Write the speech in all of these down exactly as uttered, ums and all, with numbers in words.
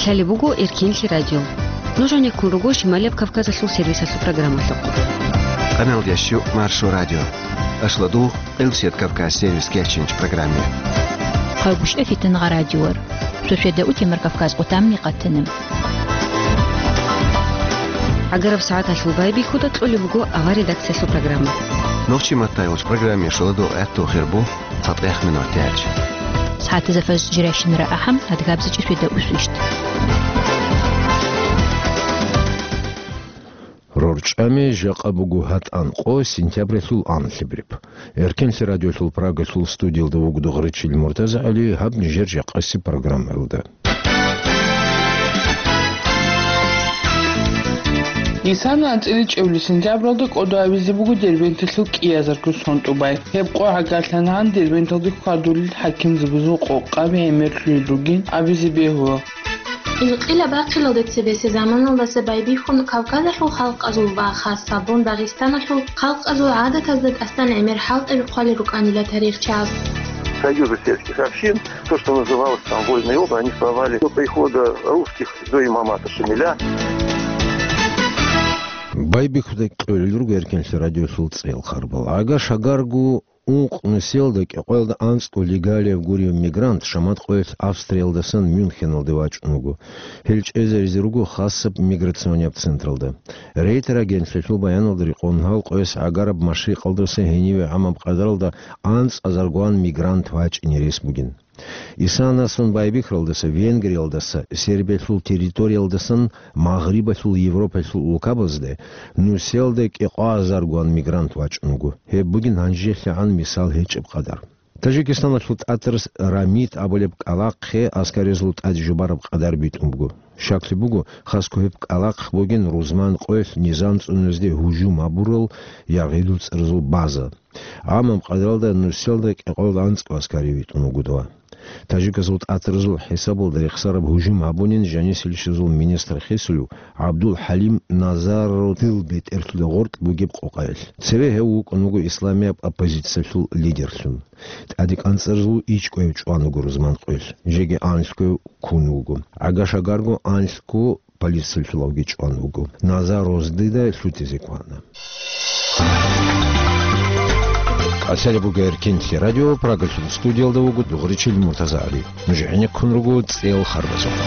Гьале буго Эркенлъи радио. Нуж гӀенеккун руго Шималияб Кавказалъул сервисалъул программалъухъ. Къамел ящу Маршо радио. Ашладу Къилсият Кавказ сервис кечинч программе. Хъалгушев Фитнагъа радиор. Суседа утемар Кавказ къутамни къатиним. Агараб сагӀаталъул байбихьуда кьолеб буго авар редакциялъул программа. Нохчи маттайолч программе шоладо гӀатту хирбу. ЦатӀех минут тяч. СагӀатазда фаз жирайщинара ахӀам, адгабзичӀи светда усвищт. РорчӀами жакъа буго гьатӀан къо сентябралъул анлъабриб. Эркенлъи радиолъул Прагалъул студиялда вугода Гъречил МуртазагӀали гьаб нижер жакъасеб программаялда. Исан анцӀила чӀевли сентябралда кӀодо абизе буго Дербенталъул кӀиазарго сон тӀубай. Гьеб къо гӀагарлъана гьан Дербенталде хьвадулел хӀакимзабазул къокъаби гӀемерлъулел ругин абизе бегьула. Инкъилаб бахъиналде цебесеб заманалдаса байбихьун Кавказалъул халкъазул ва хасабун Дагъистаналъул халкъазул гӀадатазда тӀасан гӀемер хӀалтӀаби хъвалел рукӀанила тарихчияз. Союзы сельских общин, то, что называлось там вольные области, они существовали до прихода русских до имамата Шамиля. Байбихьуда кьолел руго Эркенлъи радиолъул цӀел харбал. Агаш-агарго ункъ нусиялда кӀикъоялда анцӀго легалияб гуреб мигрант шамат къоялъ Австриялдасан Мюнхеналде вачӀун вуго. Гьел чӀезаризе руго хасаб миграционияб централда. Рейтер агентлъиялъул баяналда рекъон гьал къояс гӀагараб машрикъалдаса гьениве гӀамаб къадаралда анцӀазаргоан мигрант вачӀине рес бугин. Исанасон байбихьаралдаса, Венгриялдаса, Сербиялъул территориялдасан Магърибалъул Европалъул улкабазде нусиялда кӀикъоазаргоан мигрант вачӀун вуго. Гьеб бугин гьанжелъагӀан мисал гьечӀеб къадар. Таджикистаналъул тӀатарас Рамид абулеб кӀкӀалахъе аскаризул тӀад жубараб къадар битӀун буго. Щаклъи буго, хасго гьеб кӀкӀалахъ бугин рузман къоялъ низам цӀунулезде гьужум гьабурал яргъидул цӀарзул база. ГӀамаб къадаралда нусиялда кӀикъоялда анцӀго аскари витӀун вуго дова. Таджиказул тӀатарзул хӀисабалда рехсараб гьужум гьабунин жанисилищазул министр хисулев ГӀабдул-ХӀалим Назаров дил бетӀерлъуда гъоркь бугеб къокъаялъ. Цеве гьев вукӀун вуго исламияб оппозициялъул лидерлъун. ТӀаде кӀанцӀарзул ичӀкӀояв чӀван вуго рузман къоялъ, жеги анлъго ккун вуго. ГӀагаш-агарго анлъго полициялъулавги чӀван вуго. Назаров дида лъутизе кквана. КӀалъалеб буго Эркенлъи радио, Прагалъул студиялда вуго Дугъричил МуртазагӀали. Нуж гӀенеккун руго цӀел харбазухъ.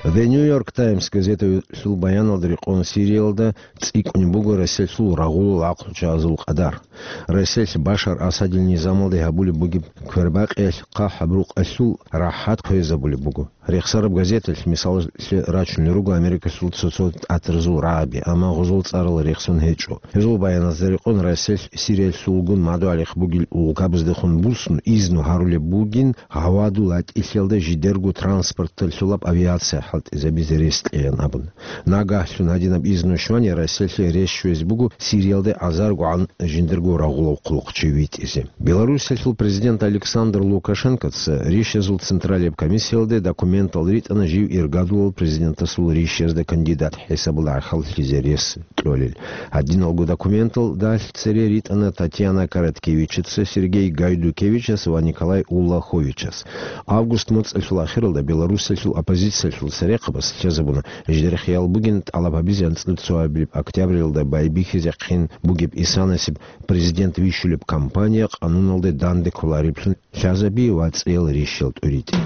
The New York Times газеталъул баяналда рекъон Сириялда цӀикӀкӀунеб буго Россиялъул рагъулал гӀакълучагӀазул къадар. Россиялъ Башар Асадил низамалде гьабулеб бугеб квербакъиялъ хъахӀаб рукъалъул рахӀат хъвезабулеб буго. Рехсараб газеталъ мисалалъе рачунел руго Америкалъул цо-цо тӀатарзул рагӀаби, амма гъозул цӀарал рехсон гьечӀо. Гьезул баяназда рекъон Россиялъ Сириялъулгун мадугӀалихъ бугел улкабаздехун буссун изну гьарулеб бугин гьавадул гьатӀилъиялда жидерго транспорталъулаб авиация хӀалтӀизабизе рес кьеян абун. Нагагьлъун гьадинаб изну щвани Россиялъе рес щвезе буго Сириялде азаргогӀан жиндирго рагъулав хъулухъчи витӀизе. Белоруссиялъул президент Александр Лукашенкоца Ришазул централияб комиссиялде документал ритӀана жив иргадулал президентасул ришазда кандидат хӀисабалда гӀахьаллъизе рес кьолел. Гьадиналго документалдалъ цере ритӀана Татьяна Короткевичаца, Сергей Гайдукевичас ва Николай Уллаховичас. Август моцӀалъул ахиралда Белоруссиялъул оппозициялъул церехъабаз лъазабуна, жидер хиял бугин тӀалаб гьабизе анцӀила цо абилеб октябралда байбихьизехъин бугеб Исанасеб президент вищулеб кампания къануналде данде кколареблъун лъазаби ва цӀел ришал тӀуритӀи.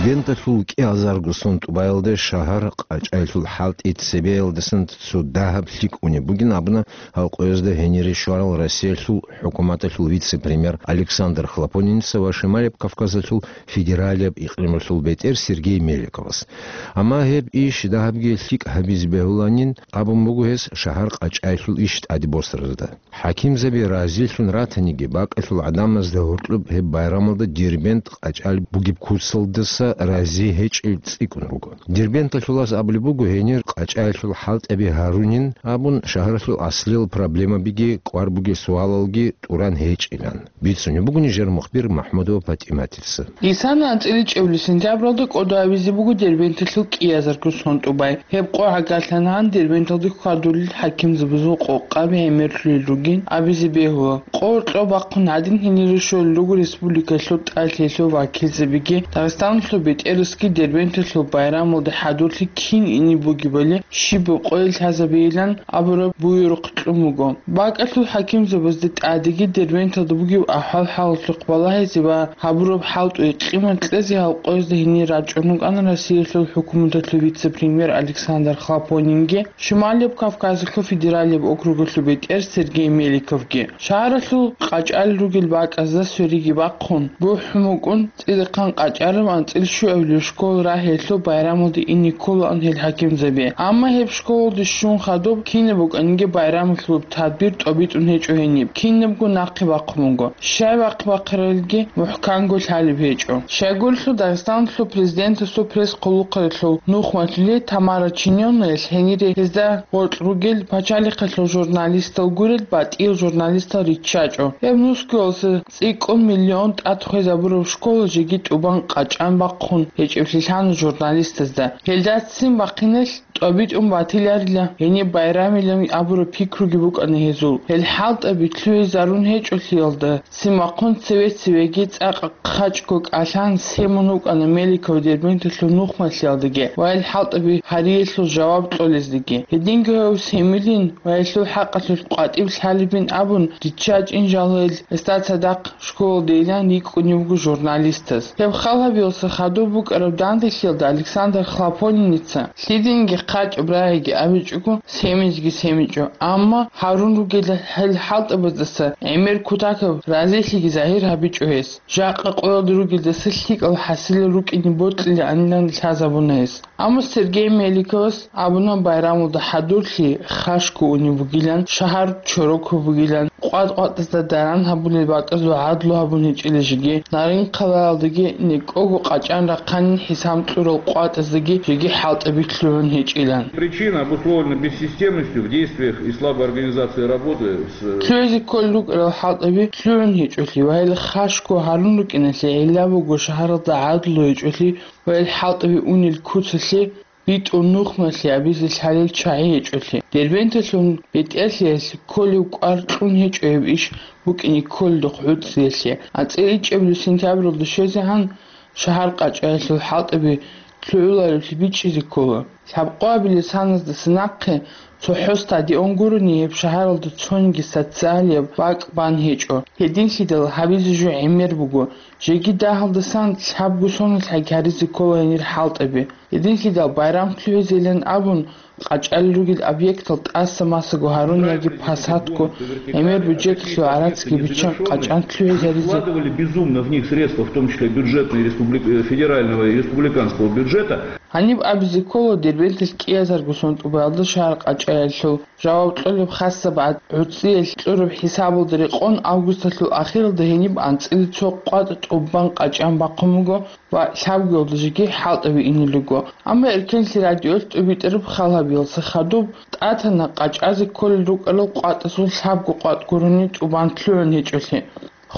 Дербенталъул кӀиазарго сон тӀубаялда шагьар къачӀайлъул хӀалтӀи цебеялдасан цо дагьаб лъикӀ унеб бугин абуна гьал къоязда гьенире щварал Россиялъул хӀукуматалъул вице-премьер Александр Хлопонинца ва Шималияб Кавказалъул федералияб икълималъул бетӀер Сергей Меликовас. Амма гьеб иш дагьабги лъикӀ гьабизе бегьуланин абун буго гьес шагьар къачӀайлъул иш тӀаде босаразда. ХӀакимзаби разилъун ратаниги, бакӀалъул гӀадамазда гьоркьоб гьеб байрамалда Дербент къачӀал бугеб куцалдаса рази гьечӀел цӀикӀкӀун руго. Дербенталъулас абулеб буго, гьенир къачӀаялъул хӀалтӀаби гьарунин абун, шагьаралъул аслиял проблемабиги кӀвар бугел суалалги тӀуран гьечӀилан. Бицунеб буго нижер мухбир МахӀмудова ПатӀиматица. Исана анцӀила чӀебли сентябралда кӀодо гьабизе буго Дербенталъул кӀиазарго сон тӀубай. Гьеб къо гӀагарлъанагӀан Дербенталде хьвадулел хӀакимзабазул къокъаби гӀемерлъулел ругин абизе бегьула. Къо кьо бахъун гьадин гьенире щолел руго республикалъул тӀад лъелъул вакилзабиги, Дагъистаналъул бетӀерасги Дербенталъул байрамалде хӀадурлъи кин ине бугебали щибаб къоялъ лъазабейилан абураб буюрухъ кьун буго. БакӀалъул хӀакимзабазда тӀадеги Дербенталда бугеб ахӀвал-хӀалалъухъ балагьизе ва гьабураб хӀалтӀуе къимат кьезе гьал къоязда гьенир рачӀун рукӀана Россиялъул хӀукуматалъул вице-премьер Александр Хлопонинги, Шималияб Кавказалъул федералияб округалъул бетӀер Сергей Меликовги. Шагьаралъул къачӀал ругел бакӀазда свериги бахъун, бухӀун букӀун, цӀидахъан къачӀараб анцӀила щуабилеб школа рагьиялъул байрамалде ине кколаан гьел хӀакимзаби. Амма гьеб школалде щун хадуб кинаб букӀаниги байрамалъулаб тадбир тӀобитӀун гьечӀо гьениб, кинабго нахъе бахъун буго. Щай бахъ-бахъаралги мухӀканго лъалеб гьечӀо. Щайгурелъул Дагъистаналъул президентасул пресс-хъулухъалъул нухмалъули Тамара Чинёнаялъ гьенире гьезда гъоркь ругел пачалихъалъул журналистал гурел батӀиял журналистал риччачӀо. Гьеб нусгоялъе цӀикӀкӀун миллион тӀад хвезабураб школа жеги тӀубан къачӀан бахъун гьечӀеблъи лъана журналистазда. Гьелда ццин бахъиналъ тӀобитӀун батиларила гьениб байрамилан абураб пикруги букӀана гьезул. Гьел хӀалтӀаби лъугӀизарун гьечӀолъиялда, ццин бахъун цеве-цевеги цӀакъ хъачӀго кӀалъан семун вукӀана Меликов Дербенталъул нухмалъиялдаги ва гьел хӀалтӀаби гьариялъул жаваб кьолездаги. Гьединго гьев семилин ва гьелъул хӀакъалъулъ къватӀиб лъалебин абун риччачӀин жал гьел гьесда цадахъ школалдейилан рикӀкӀунев вуго журналистас. Гьеб хал гьабиялъе хадуб букӀараб данделъиялда Александр Хлопониница лъидинги хъачӀаб рагӀиги абичӀого, семизги семичӀо, амма гьарун ругел гьел хӀалтӀабаздаса гӀемер кутакаб разилъиги загьир гьабичӀо гьес. Жакъа къоялда ругелдаса лъикӀал хӀасилал рукӀине бокьилаанилан лъазабуна гьес. Амма Сергей Меликовас абуна, байрамалда хӀадурлъи хашго унеб бугилан, шагьар чорокаб бугилан, къватӀ-къватӀазда даран гьабулел бакӀазул гӀадлу гьабун гьечӀила жеги, Нарин-хъалаялдаги некӀого къачӀан рахъанин хӀисам кьурал къватӀаздаги жеги хӀалтӀаби лъугӀун гьечӀилан. Причина обусловлена бессистемностью в действиях и слабой организацией работы с... Лъугьизе кколел рукӀарал хӀалтӀаби лъугӀун гьечӀолъи ва гьел хашго гьарун рукӀиналъе гӀилла буго шагьаралда гӀадлу гьечӀолъи ва гьел хӀалтӀаби унел куцалъе битӀун нухмалъи абизе лъалел чагӀи гьечӀолъи. Дербенталъул бетӀерлъиялъе кколев кӀвар кьун гьечӀо гьеб иш букӀине кколелдухъ гӀуцӀиялъе. АнцӀила ичӀабилеб сентябралда щвезегӀан шагьар къачӀаялъул хӀалтӀаби лъугӀуларевлъи бичӀчӀизе ккола. Лъабкъоабилеб саназдаса нахъе цохӀо стадион гурони гьеб шагьаралда цониги социалияб бакӀ бан гьечӀо. Гьединлъидал гьабизе жо гӀемер буго. Жеги дагьалдасан лъабго соналъ гьаризе ккола гьенир хӀалтӀаби. Гьединлъидал байрам лъугӀизейилан абун, къачӀалел ругел объектал тӀаса-масаго гьарун яги посадго, гӀемер бюджетлъул гӀарацги биччан къачӀан лъугӀизаризе. Вкладывали безумно в них средства, в том числе бюджетные республик-, э, федерального и республиканского бюджета. Гьаниб абизе ккола, Дербенталъ кӀиазарго сон тӀубаялда шагьар къачӀаялъул жаваб кьолеб хасаб гӀад-, гӀуцӀиялъ кьураб хӀисабалда рекъон августалъул ахиралда гьениб анцӀила цо къватӀ тӀубан къачӀан бахъун буго ва лъабгоялда жеги хӀалтӀаби инел руго. Амма Эркенлъи радиоялъ тӀубитӀараб хал гьабиялъе хадуб тӀатана къачӀазе кколел рукӀарал къватӀазул лъабго къватӀ гурони тӀубан лъугӀун гьечӀолъи.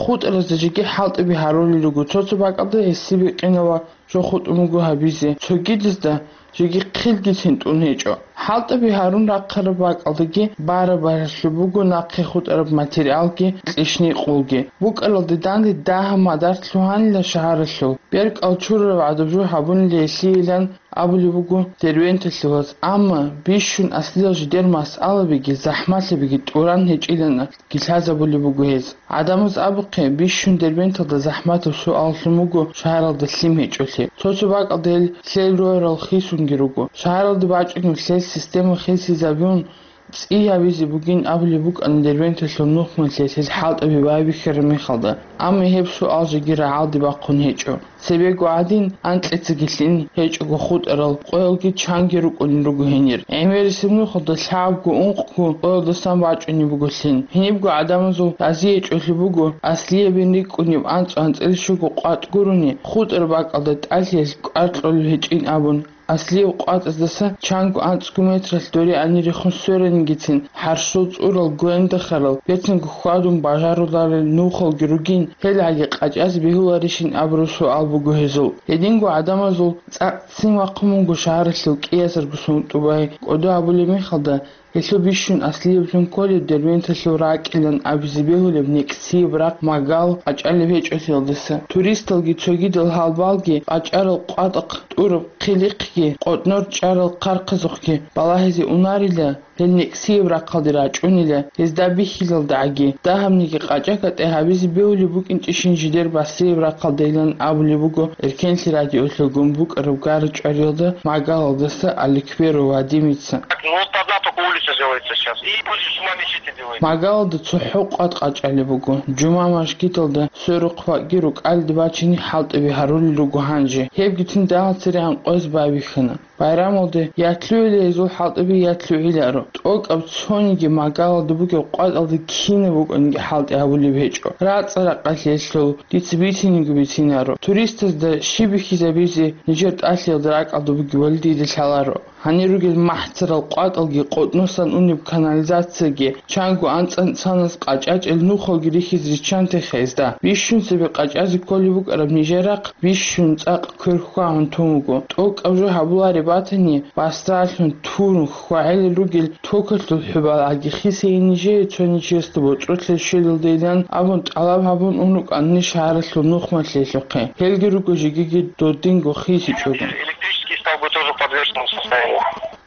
ХутӀаразда жеги хӀалтӀаби гьарулел руго, цо-цо бакӀалда гьесие бикъинал ва жо хутӀун буго гьабизе, цогидазда жеги хъилгицин тӀун гьечӀо. ХӀалтӀаби гьарун рахъараб бакӀалдаги бараб-баралъуб буго нахъе хутӀараб материалги кьишни-къулги. БукӀаралда данде дагьаб мадар лъугьанила шагьаралъул. БеркӀал чурараб гӀадаб жо гьабунила гьелъийилан абулеб буго Дербенталъулаз, амма бищун аслиял жидер масъалабиги захӀмалъабиги тӀуран гьечӀилан лъазабулеб буго гьез. ГӀадамаз абухъе, бищун Дербенталда захӀматаб суал лъун буго шагьаралда лъим гьечӀолъи. Цо-цо бакӀалда гьел лъел рогьарал хисунги руго. Шагьаралда бачӀунеб лъел система хисизабун, ЦӀи гьабизе бугин абулеб букӀана Дербенталъул нухмалъе гьел хӀалтӀаби байбихьараб мехалда, амма гьеб суал жеги рагӀалде бахъун гьечӀо. Цебего гӀадин, анкьицаги лъин гьечӀого хутӀарал къоялги чанги рукӀунел руго гьенир. ГӀемерисеб нухалда лъабго-ункъго къоялдасан бачӀунеб буго лъин. Гьенибго гӀадамазул разиячӀолъи буго аслиябин рикӀкӀунеб анцӀ-анцӀила щуго къватӀ гурони, хутӀараб бакӀалда тӀалъиялъ кӀвар кьолеб гьечӀин абун. Аслияб къватӀаздаса чанго анцӀго метралъ доре анирехун сверанигицин, хӀарщул цӀурал, гвендахарал, бецинго хьвадун бажаруларел нухалги ругин, гьел гӀаги къачӀазе бегьуларищин абураб суал буго гьезул. Гьединго гӀадамазул цӀакъ ццин вахъун буго шагьаралъул кӀиазарго сунтӀубай. КӀодо абулеб мехалда, гьелъул бищун аслияблъун кколеб Дербенталъул ракӀилан абизе бегьулеб некӀсияб рахъ Магал къачӀалеб гьечӀолъиялдаса. Туристалги цогидал гьалбалги къачӀарал къватӀахъ тӀураб хъилихъги, къотӀнор чӀарал хъархъазухъги балагьизе унарила, гьел некӀсияб рахъалде рачӀунила, гьезда бихьилалдагӀаги, дагьабниги къачӀа-кӀатӀа гьабизе бегьулеб букӀинчӀищин жидер басрияб рахъалдайилан абулеб буго Эркенлъи радиолъулгун букӀараб гара-чӀвариялда Магалалдаса Аликберов Вадимица. Так, ну вот одна только улица делается сейчас. И возле Жума мечети делается. Магалалда цохӀо къватӀ къачӀалеб буго. Жума мажгиталда сверухъ вакӀги рукӀалде бачине хӀалтӀаби гьарулел руго гьанже. Гьебгицин дагьал цере гӀанкъояз байбихьана. Байрамалде ятлъугӀила гьезул хӀалтӀаби, ятлъугӀиларо. ТӀокӀаб цониги Магалалда бугеб къватӀалда кинаб букӀаниги хӀалтӀи гьабулеб гьечӀо. РацӀа-ракъалъе лъул, дица бициниги бицинаро. Туристазда щиб бихьизабизе нижер тӀалъиялда ракӀалда бугебали дида лъаларо. Гьанир ругел махӀцарал къватӀалги, къотӀносан унеб канализацияги, чанго анцӀ-анцӀанас къачӀачӀел нухалги рихьизе риччанте хезда. Бищун цебе къачӀазе кколеб букӀараб нижер рахъ бищун цӀакъ квер хьвагьун тун вуго. ТӀокӀаб жо гьабулареб батани, басдалъун, турун, хьвагӀелел ругел токалъул хӀубал гӀаги хисейин нижее цо нечиясда боцӀрулъе щвелалдайилан абун тӀалаб гьабун ун рукӀанани шагьаралъул нухмалъиялъухъе. Гьелги руго жегиги додинго хисичӀого. Электрический столбы тоже в подвешенном состоянии.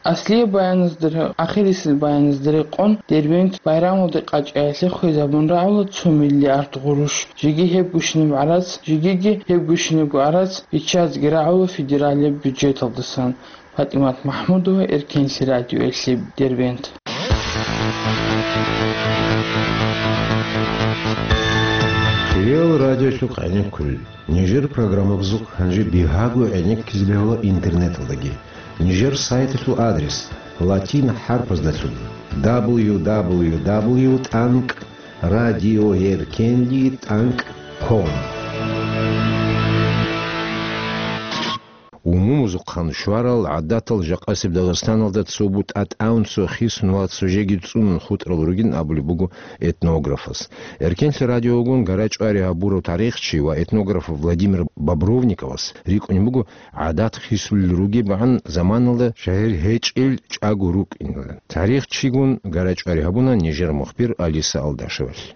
Аслияб баяназда ре-, ахирисел баяназда рекъон, Дербент байрамалде къачӀаялъе хвезабун рагӀула цо миллиард гъурущ. Жеги гьеб гущинаб гӀарац, жегиги гьеб гущинабго гӀарац биччазеги рагӀула федералияб бюджеталдасан. ПатӀимат МахӀмудова, Эркенлъи радиоялъе, Дербент. Кирил радиолъухъ гӀенеккулел. Нижер программабазухъ гьанже бигьаго гӀенеккизе бегьула интернеталдаги. Нижер сайталъул адрес латин хӀарпаздалъун: дабл ю дабл ю дабл ю тӀанкӀ радиоеркенли тӀанкӀ ком. Умумузухъан щварал гӀадатал жакъасеб Дагъистаналда цо бутӀа тӀамун, цо хисун ва цо жеги цӀунун хутӀарал ругин абулеб буго этнографас. Эркенлъи радиогун гара-чӀвари гьабурав тарихчи ва этнограф Владимир Бобровниковас рикӀкӀунеб буго гӀадат хисулел ругебгӀан заманалда жагьил гьечӀел чӀаго рукӀинилан. Тарихчигун гара-чӀвари гьабуна нижер мухбир Алиса Алдашевалъ.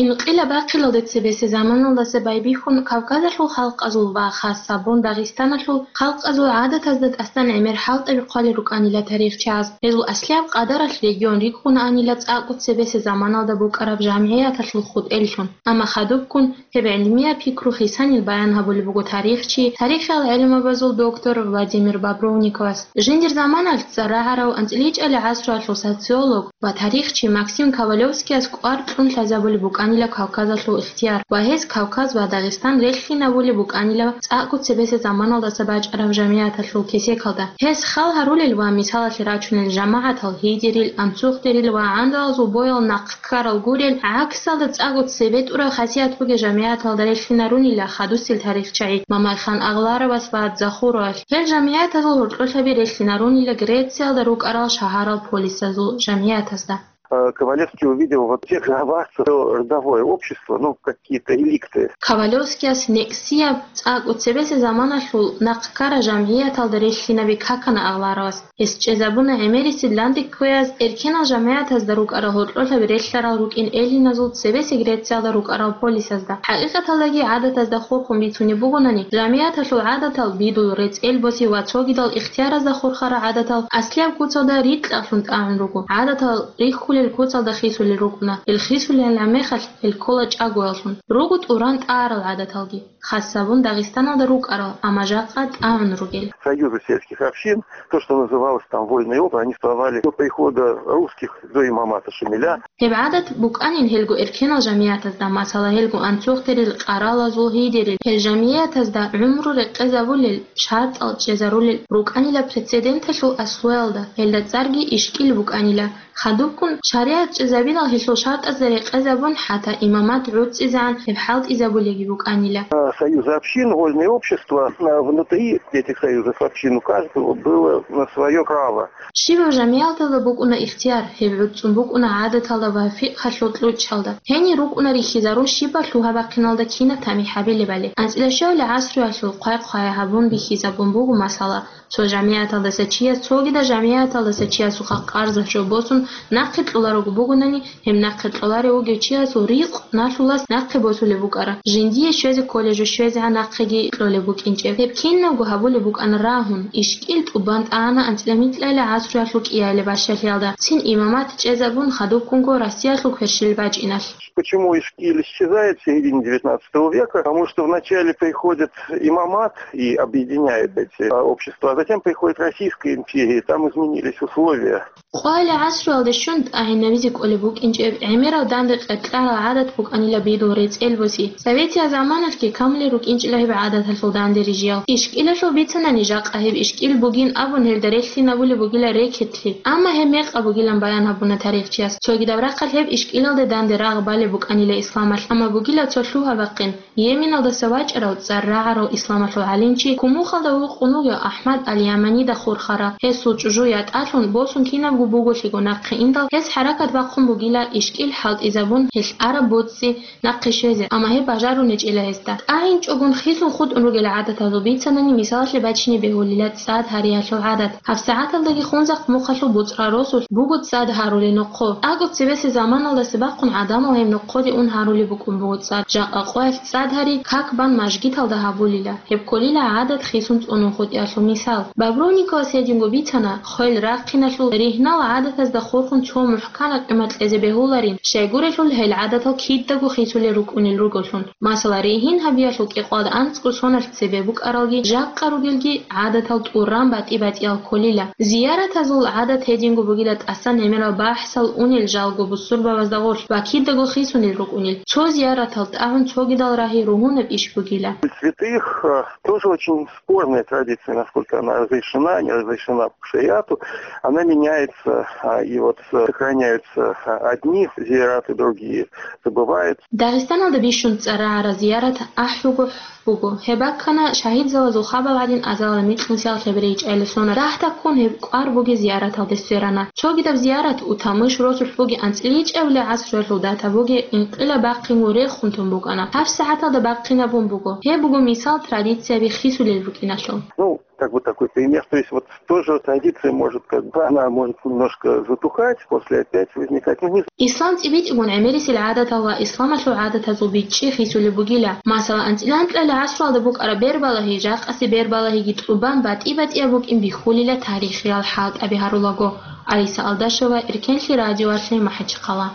Инкъилаб бахъиналде цебесеб заманалдаса байбихьун Кавказалъул халкъазул ва, хас гьабун, Дагъистаналъул халкъазул гӀадатазда тӀасан гӀемер хӀалтӀаби хъвалел рукӀанила тарихчияз. Гьезул аслияб къадаралъ регион рикӀкӀунаанила цӀакъго цебесеб заманалда букӀараб жамгӀияталъул хутӀеллъун. Амма хадубккун гьеб гӀилмияб пикру хисанил баян гьабулеб буго тарихчи, тарихиял гӀелмабазул доктор Владимир Бобровниковас. Жиндир заманалъ цӀар рагӀарав анцӀила гӀасруялъул социолог ва тарихчи Максим Ковалевскияс кӀвар кьун лъазабулеб букӀанила Кавказалъул ихтияр ва гьес Кавказ ва Дагъистан релълъинабулеб букӀанила цӀакъго цебесеб заманалдаса бачӀараб жамигӀаталъул кесекалда. Гьес хал гьарулел ва мисалалъе рачунел жамагӀатал гьидерил, анцухдерил ва гӀандалазул боял нахъ ккарал гурел, гӀаксалда цӀакъго цебетӀурал хасият бугел жамигӀаталда релълъинарунила хадусел тарихчагӀи Мамайхан Агъларовас ва Захуровалъ. Гьел жамигӀатазул гьоркьолъаби релълъинарунила Грециялда рукӀарал шагьарал полисазул жамигӀатазда. Э, Ковалевский увидел вот в тех главах своё родовое общество, ну, какие-то реликты. Ковалевскияс некӀсияб цӀакъго цебесеб заманалъул нахъ ккарал жамигӀаталда релълъинаби какана Агъларовас. Гьес чӀезабуна гӀемерисел данде кквеяз, эркенал жамигӀатазда рукӀарал гьоркьолъаби релълъарал рукӀин эллиназул цебесеб Грециялда рукӀарал полисазда. ХӀакъикъаталдаги гӀадатазда хурхун бицунеб бугонани, жамигӀаталъул гӀадатал, бидул, рецӀел боси ва цогидал ихтияразда хурхарал гӀадатал аслияб куцалда рикьалъун тӀагӀун руго. ГӀадатал рихьулел куцалда хисулел рукӀуна. Гьел хисулел гӀемерал гьел ккола чӀагояллъун. Руго тӀуран тӀагӀарал гӀадаталги. хас гьабун Дагъистаналда рукӀарал, амма жакъа тӀагӀун ругел. Союзы сельских общин, то, что называлось там вольный округ, они существовали до прихода русских, до имамата Шамиля. Гьеб гӀадат букӀанин гьелго эркенал жамигӀатазда, масала, гьелго анцӀгӀурал, къаралазул гьидерил, гьел жамигӀатазда гӀумру рекъезабулел, шартӀал чӀезарулел рукӀанила прецеденталъул аслуялда, гьелда цӀарги ишкӀил букӀанила. Хадубккун шаригӀат чӀезабинал гьелъул шартӀазда рекъезабун, хӀатта имамат гӀуцӀизегӀан гьеб хӀалтӀизабулеги букӀанила. А, союзы общин, вольные общества, а, внутри этих союзов общин у каждого было, а, своё право. Щибаб жамигӀаталда букӀуна ихтияр, гьеб гӀуцӀцӀун букӀуна гӀадаталда ва фикъгьалъул кьучӀалда. Гьенир рукӀуна рихьизарун щибаб лъугьа-бахъиналда кинаб тамихӀ гьабилебали. АнцӀила щуабилеб гӀасруялъул хъвай-хъвай гьабун бихьизабун буго масала. Цо жамигӀаталдаса чияс цогидал жамигӀаталдаса чиясухъа къарзалъ жо босун нахъе кьоларого бугони, гьеб нахъе кьоларев вугев чиясул ризкъ налъулас нахъе босулеб букӀара. Жиндие щвезе кколеб жо щвезегӀан нахъеги кьолеб букӀинчӀеб. Гьеб кинабго гьабулеб букӀана рагьун, ишкӀил тӀубан тӀагӀана анцӀила-микьайила гӀасруялъул кӀиабилеб бащалъиялда. Цин имамат чӀезабун хадубккунго Россиялъул кверщел бачӀиналъ. Почему ишкиль исчезает в середине девятнадцатого века? Потому что вначале приходит имамат и объединяет эти, а, общества, а затем приходит Российская империя, и там изменились условия. Къоялъ гӀасруялде щун тӀагӀинабизе кӀолеб букӀинчӀеб гӀемерал данде къеркьарал гӀадат букӀанила бидул рецӀел боси. Советиял заманалъги камулел рукӀинчӀила гьеб гӀадаталъул данде рижиял. ИшкӀилалъул бицанани жакъа гьеб ишкӀил бугин абун гьелда релълъинабулеб бугила рекетлъи. Амма гьеб мекъаб бугилан баян гьабуна тарихчияс. Цогидаб рахъалъ гьеб ишкӀилалде данде рагъ балеб букӀанила исламалъ, амма бугила цо лъугьа-бахъин. Йеменалдаса вачӀарав цӀар рагӀарав исламалъул гӀалимчи, Кумухалда вукъун вугев АхӀмад аль-Яманида хурхарав. Гьесул чӀужу ятӀалъун, босун кинабго буголъиго нахъе индал, гьес хӀаракат бахъун бугила ишкӀил хӀалтӀизабун, гьелъ араб боцӀи нахъе щвезе, амма гьеб бажарунечӀила гьесда. ТӀагӀинчӀогун хисун хутӀун ругел гӀадатазул бицанани мисалалъе бачине бегьулила цӀад гьариялъул гӀадат. ГьабсагӀаталдаги Хунзахъ мухъалъул буцӀрал росулъ буго цӀад гьарулел нохъо. АкӀуб цебесеб заманалдаса бахъун гӀадамал гьеб нохъоде ун гьарулеб букӀун буго цӀад. Жакъа къоялъ цӀад гьари как бан мажгиталда гьабулила. Гьеб кколила гӀадат хисун цӀунун хутӀиялъул мисал. Бобровниковас гьединго бицана, хвел рахъиналъул ригьнал гӀадатазда хурхун цо мухӀканаб къимат кьезе бегьуларин, щайгурелъул гьел гӀадатал кидаго хисулел рукӀунел ругеллъун. Масала, ригьин гьабиялъул кӀикъоялда анцӀго соналъ цебе букӀаралги, жакъа ругелги гӀадатал тӀуран батӀи-батӀиял кколила. Зияратазул гӀадат гьединго бугила тӀасан гӀемерал бахӀсал унел жалго бусурбабазда гъорлъ ва кидаго хисунел рукӀунел. Цо зияратал тӀагӀун цогидал рагьи ругьунаб иш бугила. Святых, э, тоже очень спорная традиция, насколько она разрешена, не разрешена по шариату. Она меняется, а, и вот, э, сохраняются, а, одни зияраты, другие забывают. Дагъистаналда бищун цӀар рагӀарал зиярат ахӀуго буго. Гьеб баккана шагьидзабазул хабал гӀадин азалда микьнусиялъ гьеб рейчӀайилан соналъ. Дагь-дагьккун гьеб кӀвар бугеб зияраталде сверана. Цогидаб зиярат Утамыш росулъ бугеб анцӀила ичӀабилеб гӀасруялъул дата бугеб инкъилаб бахъинго рехун тун букӀана. ГьабсагӀаталда бахъинабун буго. Гьеб буго мисал традицияби хисулел рукӀиналъул. Ну, как бы такой пример. То есть вот тоже традиция может, как бы, она может немножко затухать, после опять возникать. Ну, не Ислам цӀибитӀигун гӀемерисел гӀадатал ва исламалъул гӀадатазул бичӀчӀи хисулеб бугила. Масала, анцӀила-анкьалил гӀасруялда букӀараб бербалагьи, жакъасе бербалагьиги тӀубан батӀи-батӀияб букӀин бихьулила тарихиял хӀалтӀаби гьарулаго. Айса Алдашева, Эркенлъи радиоялъе, МахӀачхъала.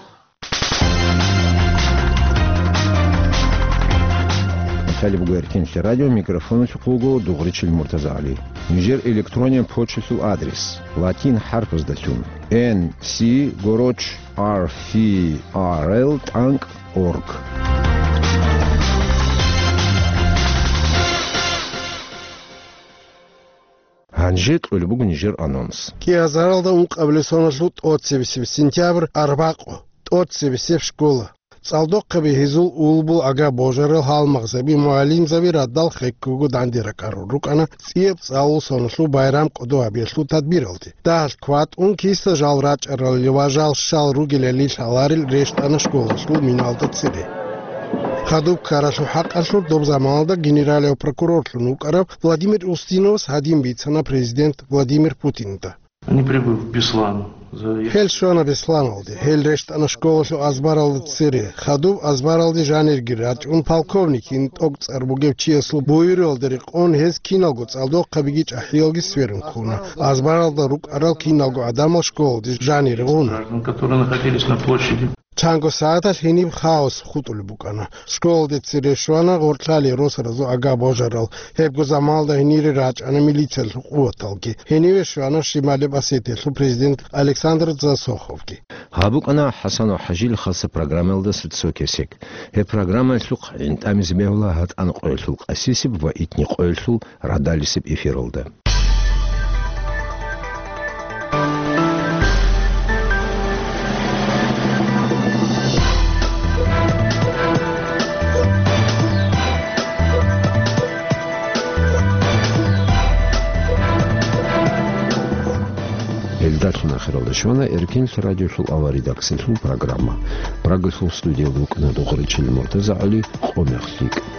Италия буго Эркенлъи радио, микрофоналъухъ вуго Дугъричил МуртазагӀали. Нижер электрониял почталъул адрес: латин хӀарпаздалъун, N C гороч R F R L тӀанкӀ org. Гьанже кьолеб буго нижер анонс. КӀиазаралда ункъабилеб соналъул тӀоцебесеб сентябрь, арбакъу, тӀоцебесеб школа. ЦӀалдохъаби гьезул улбул ага-божарал, гьалмагъзаби, мугӀалимзаби радал хеккого данде ракӀарун рукӀана цӀияб цӀалул соналъул байрам кӀодо гьабиялъул тадбиралде. Дагьалъ кватӀун киса жал рачӀаралил ва жал щал ругелали лъаларел рещтӀана школалъул миналда цере. Хадуб ккаралъул хӀакъалъулъ доб заманалда генералияв прокурорлъун вукӀарав Владимир Устиновас гьадин бицана президент Владимир Путинда. Они прибыли в Беслан. За- Гьел щвана Бесланалде. Гьел рещтӀана школалъул азбаралда цере. Хадуб азбаралде жанирги рачӀун, полковникин тӀокӀцӀар бугев чиясул буюралда рекъон, гьез киналго цӀалдохъабиги чӀахӀиялги сверун ккуна. Азбаралда рукӀарал киналго гӀадамал школалде жанир гъуна. Граждан, которые находились на площади. Чанго сагӀаталъ гьениб хаос хутӀулеб букӀана. Школалде цере щвана гъоркьлъали росаразул агар-божарал. Гьебго заманалда гьенире рачӀана милициялъул къуваталги. Гьениве щвана Шималеб Осетиялъул президент Александр Засоховги. Гьаб букӀана ХӀасанов ХӀажил хаса программаялдаса цо кесек. Гьеб программаялъухъ гӀинтӀамизе бегьула гьатӀан къоялъул къасисеб ва итни къоялъул радалисеб эфиралда. Гьелдалъун ахиралда щвана Эркенлъ радиолъул аваридаксалъул программа. Прагалъул студиялда вукӀана Дугъричил МуртазагӀали, къо мех лъикӀ.